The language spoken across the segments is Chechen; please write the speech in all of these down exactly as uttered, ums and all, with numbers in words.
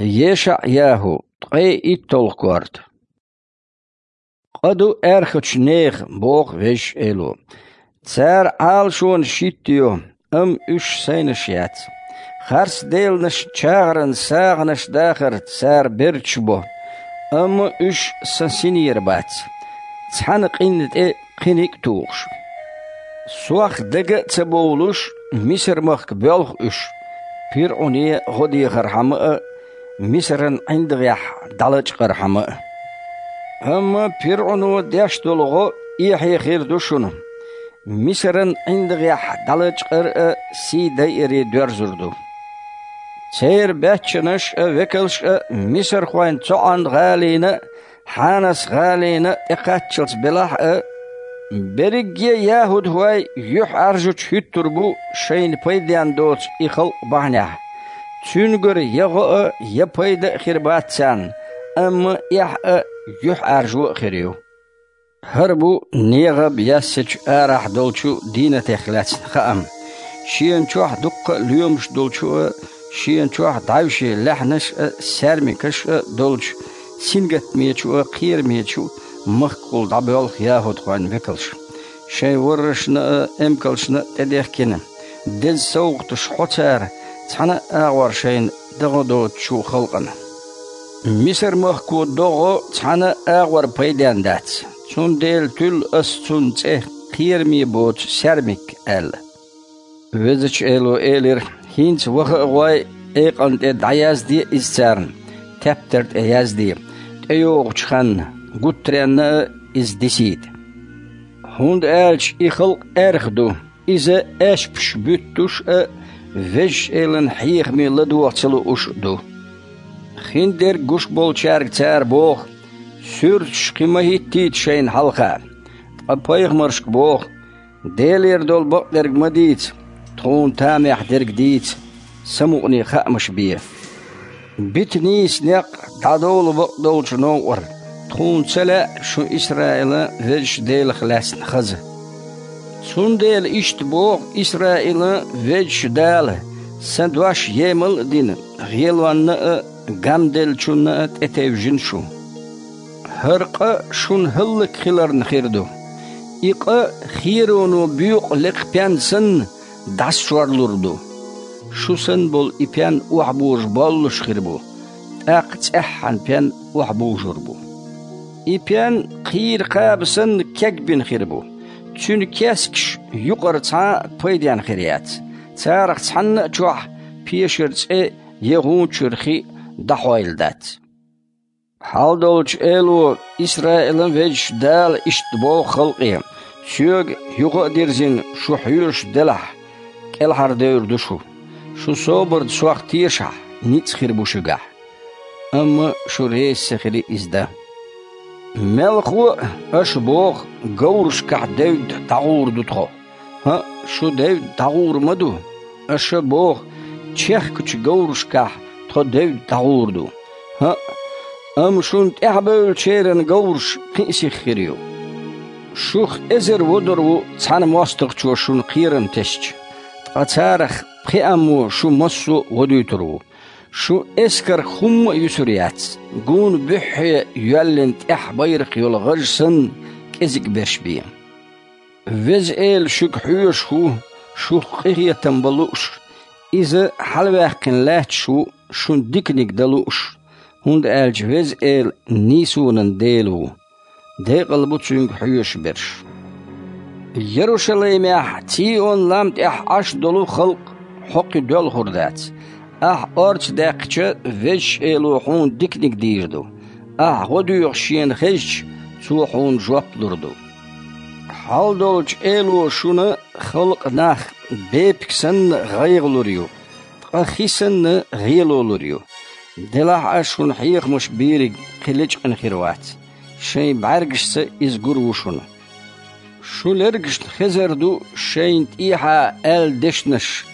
ЕшаӀ-ЯхӀу, ткъе итталгӀа корта. Къа ду аьрхачу нехан, боху Везачу Эло. Цара Ӏалашонаш хӀиттайо, амма уьш сайнаш яц. Харц деланаш чагӀаран сагӀанаш дахарца цара берташ бо, амма уьш сан синера бац. Цхьана къинна тӀе кхиниг а тухуш. Сох дага а ца бовлуш, Мисар-махка боьлху уьш, ПирӀуне гӀо дехархьама а, Мисаран ӀиндагӀехь дӀалачкъархьама а. Амма ПирӀуно деш долу гӀо эхье хир ду шуна. Мисаран ӀиндагӀехь дӀалачкъар а сий дайаре доьрзур ду. Церан баьччанаш а, векалш а Мисархойн цӀоӀан-гӀалина а, Хьанас-гӀалина а тӀекхаччалц белахь а, берриге а яхӀудхой юьхьӀаьржачу хӀуьттур бу шайна пайденна доцу и халкъ бахьанехь. Цуьнгара я гӀо а, я пайда а хир бац царна, амма эхь а, юьхьӀаьржо а хир ю. ХӀара бу НегӀаб яьссачу арахь долчу дийнатех лаьцна хаам. Шена чохь дуккха а лоьмаш долчу а, шена чохь дӀаьвше лаьхьанаш а, саьрмикаш а долчу, сингаттамечу а, кхерамечу а махкахула дӀабоьлху яхӀудхойн векалш. Шайн воррашна а, эмкалшна а тӀедехкина, деза совгӀаташ хьо цара, цхьана а агӀор шайна дагӀо доцучу халкъана. Мисар-махко догӀо цхьана а агӀор пайденна дац, цундела туьллу ас цунна цӀе «Кхераме боцу саьрмик» аьлла. Везачу Эло элира: «ХӀинца ваха а гӀой, экъан тӀе дӀаязде иза царна, тептар тӀе язде, тӀейогӀучу ханна, гуттаренна а иза дисийта. ХӀунда аьлча и халкъ аьрха ду, иза аьшпаш буьттуш а, Везачу Элан хьехаме ладогӀа ца лууш а ду». Хиндерг гуш болчаьрга цара боху: «Суьрташ кхин ма хӀиттийта шайна хьалха». Ткъа пайхамаршка боху: «Делера долу бакъдерг ма дийца, тхуна тамехь дерг дийца, самукъане хаамаш бе. Бита нийса некъ, дӀадовла бакъдолчу новкъара, тхуна ца лаьа шун Исраилан Везачу Делах лаьцна хаза». Цундела иштта боху Исраилан Везачу Дала: «Сан дош емал а дина, гӀелонна а, гамделлачунна а тӀетевжина шу. ХӀара къа шуна хӀаллакьхиларна хир ду. И къа хероно боькъу лекха пен санна дӀасачорлур ду. Шу санна болу и пен охьабожа боллуш хир бу, тӀаккха цӀеххьана пен охьабужур бу. И пен кхийра кхаба санна кегбина хир бу. Цуьнан кескаш юкъара цхьа а пайденна хир яц. Царах цхьанна а чохь пешара цӀе я гӀуна чуьра хи дӀахьойла дац». Хьалдолчу Эло, Исраилан Везачу Дала иштта боху халкъе: «Соьга юха а дирзина шу хьоьжуш делахь, кӀелхьардевр ду шу. Шу собарца Сох тешахь, ницкъ хир бу шуьгахь». Амма шу реза ца хили иза дан. Мелхо а аша боху: «Говрашкахь девдда дӀагӀур ду тхо». ХӀаъ, шу девдда дӀагӀур ма ду. Аша боху: «Чехкачу говрашкахь тхо девдда дӀагӀур ду». ХӀаъ, амма шуна тӀаьхьабевллачеран говраш кхин а сиха хир ю. Шух эзар водур ву цхьана мостагӀчо шуна кхерам тесча, ткъа царах пхеаммо шу массо а водуьйтур ву. Шу эскарх хӀумма а юьсур яц, гуна буьххье йоьллина тӀехь байракх йолу гӀаж санна, кӀезиг берш бен. Веза Эла шуьга хьоьжуш ву, шух къинхетам бан лууш, Иза хьалаваьккхина лаьтташ ву, шуна диканиг дан лууш, хӀунда аьлча Веза Эла нийсонан Дела ву. Декъал бу Цуьнга хьоьжуш берш. Ярушалаймехь, Цийон-лам тӀехь Ӏаш долу халкъ хьо кхин доьлхур дац. Ахь орца даьккхича, Везачу Эло хьуна диканиг дийр ду. Ахь гӀо доьхуш Шена хезча, Цо хьуна жоп лур ду. Хьалдолчу Эло шуна халкъан нах бепиг санна гӀайгӀа лур ю, ткъа хи санна гӀело лур ю. Делахь а шуна хьехамаш бийриг кхин лечкъина хир вац, шайн бӀаьргашца иза гур ву шуна. Шу лергашна хезар ду шайна тӀехьа аьлла дешнаш: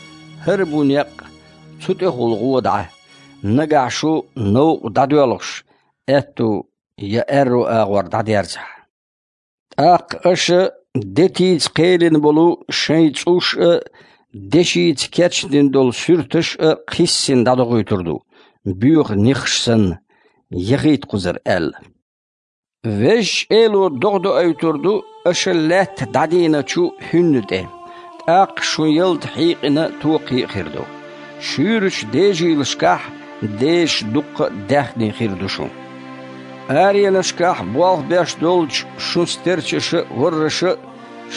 «ХӀара бу некъ, цу тӀехула гӀо дӀа, нагахь шу новкъа дӀадоьлхуш, аьтту я аьрру агӀор дӀадерзахь». ТӀаккха аша детица кхелина болу шайн цӀуш а, дешица кечдина долу суьрташ а кхиссина дӀадохуьйтур ду. боьха нехаш санна, яхийта кхузара аьлла. Везачу Эло догӀа доуьйтур ду аша лаьтта дӀадийначу хӀуьнна тӀе, тӀаккха шун ялта хьийкъина токхе а хир ду. Шуьйрачу дежийлашкахь дежаш дуккха а даьхни хир ду шун. Аренашкахь болх беш долчу шун стерчаша а, ворраша а,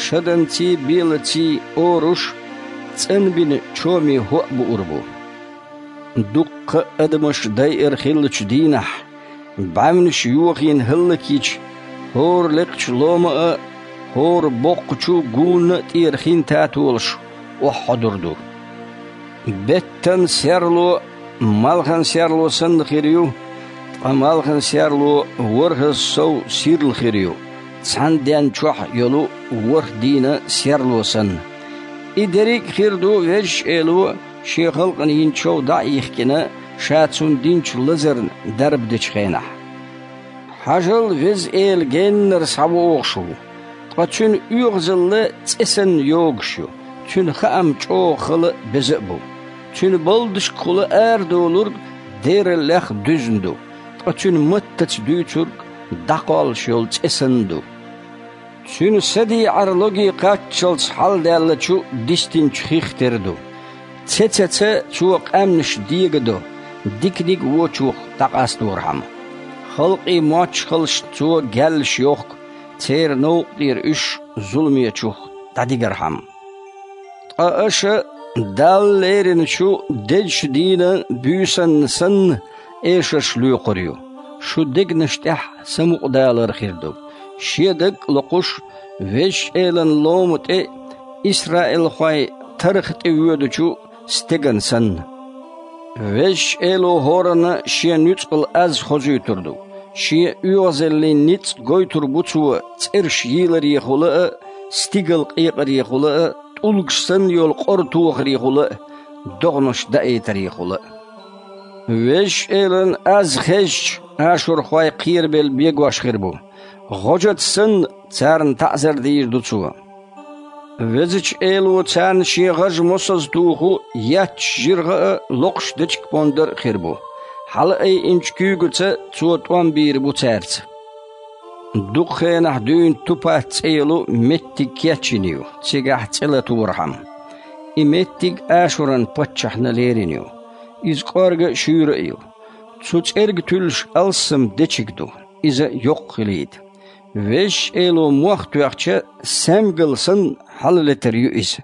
шаданций а, белаций а оруш, цӀанбина чоме хӀоа буур бу. Дуккха а адамаш дайъар хиллачу дийнахь, бӀаьвнаш йохийна хӀаллакйича, хӀора лекхачу лома а, хӀора боккхачу гунна а тӀера хин татолаш охьахьодур ду. Беттан серло малхан серло санна хир ю, ткъа малхан серло ворхӀазза сов сирла хир ю, цхьана ден чохь йолу ворхӀ дийнан серло санна. И дерриг а хир ду Везачу Эло Шен халкъана йина чов дӀа а йихкина, Ша цунна динчу лазарна дарба дечу хенахь. Хьажал, Веза Эла геннара схьавогӀуш ву, ткъа Цуьнан оьгӀазалла цӀе санна йогуш ю, Цуьнан хаам чӀогӀа хала а, беза а бу. Цуьнан балдашкахула арадолург дераллех дуьзна ду, ткъа Цуьнан маттаца дуьйцург дӀакхоллуш йолу цӀе санна ду. Цуьнан садеӀар логе кхаччалц хьаладаьллачу дистинчу хих тера ду. Цецаца Цо къаьмнаш дегадо, диканиг а вочух дӀакъасторхьама. Халкъийн мочхалшна Цо гаьллаш йохку, церан новкъа тӀера уьш зуламечух дӀадигархьама. Ткъа аша Далла лериначу дезачу дийнан буьйсанна санна эшарш лоькхур ю. Шун дегнаш тӀехь самукъадалар хир ду, шен даг а локхуш, Везачу Элан лома тӀе исраилхойн тарха тӀе воьдучу стеган санна. Везачу Эло хӀоранна Шен нуьцкъала аз хозуьйтур ду. Шен оьгӀазаллин ницкъ гойтур бу Цо цӀераш йийларехула а, стигала къекъарехула а, тӀулгаш санна йолу къора тохарехула а, догӀанаш даийтарехула а. Везачу Элан аз хезча, ашурхой кхерабелла бегош хир бу. ГӀожаца санна, царна таӀзар дийр ду Цо. Везачу Эло царна Шен гӀажа мосазза туху етташ жиргӀа а, локхуш дечиг-пондар а хир бу. Хьала айинчу куьйгаца Цо тӀом бийр бу цаьрца. Дукха хенахь дуьйна Тупат цӀе йолу меттиг кечйина ю, цигахь цӀе латорхьама. И меттиг Ашуран паччахьна лерина ю. Иза кӀорга а, шуьйра а ю. Цу цӀерга туьллуш алссам дечиг ду, иза йоккха хилийта. Везачу Эло мох тоьхча, саьмгал санна, хьалалетар ю иза.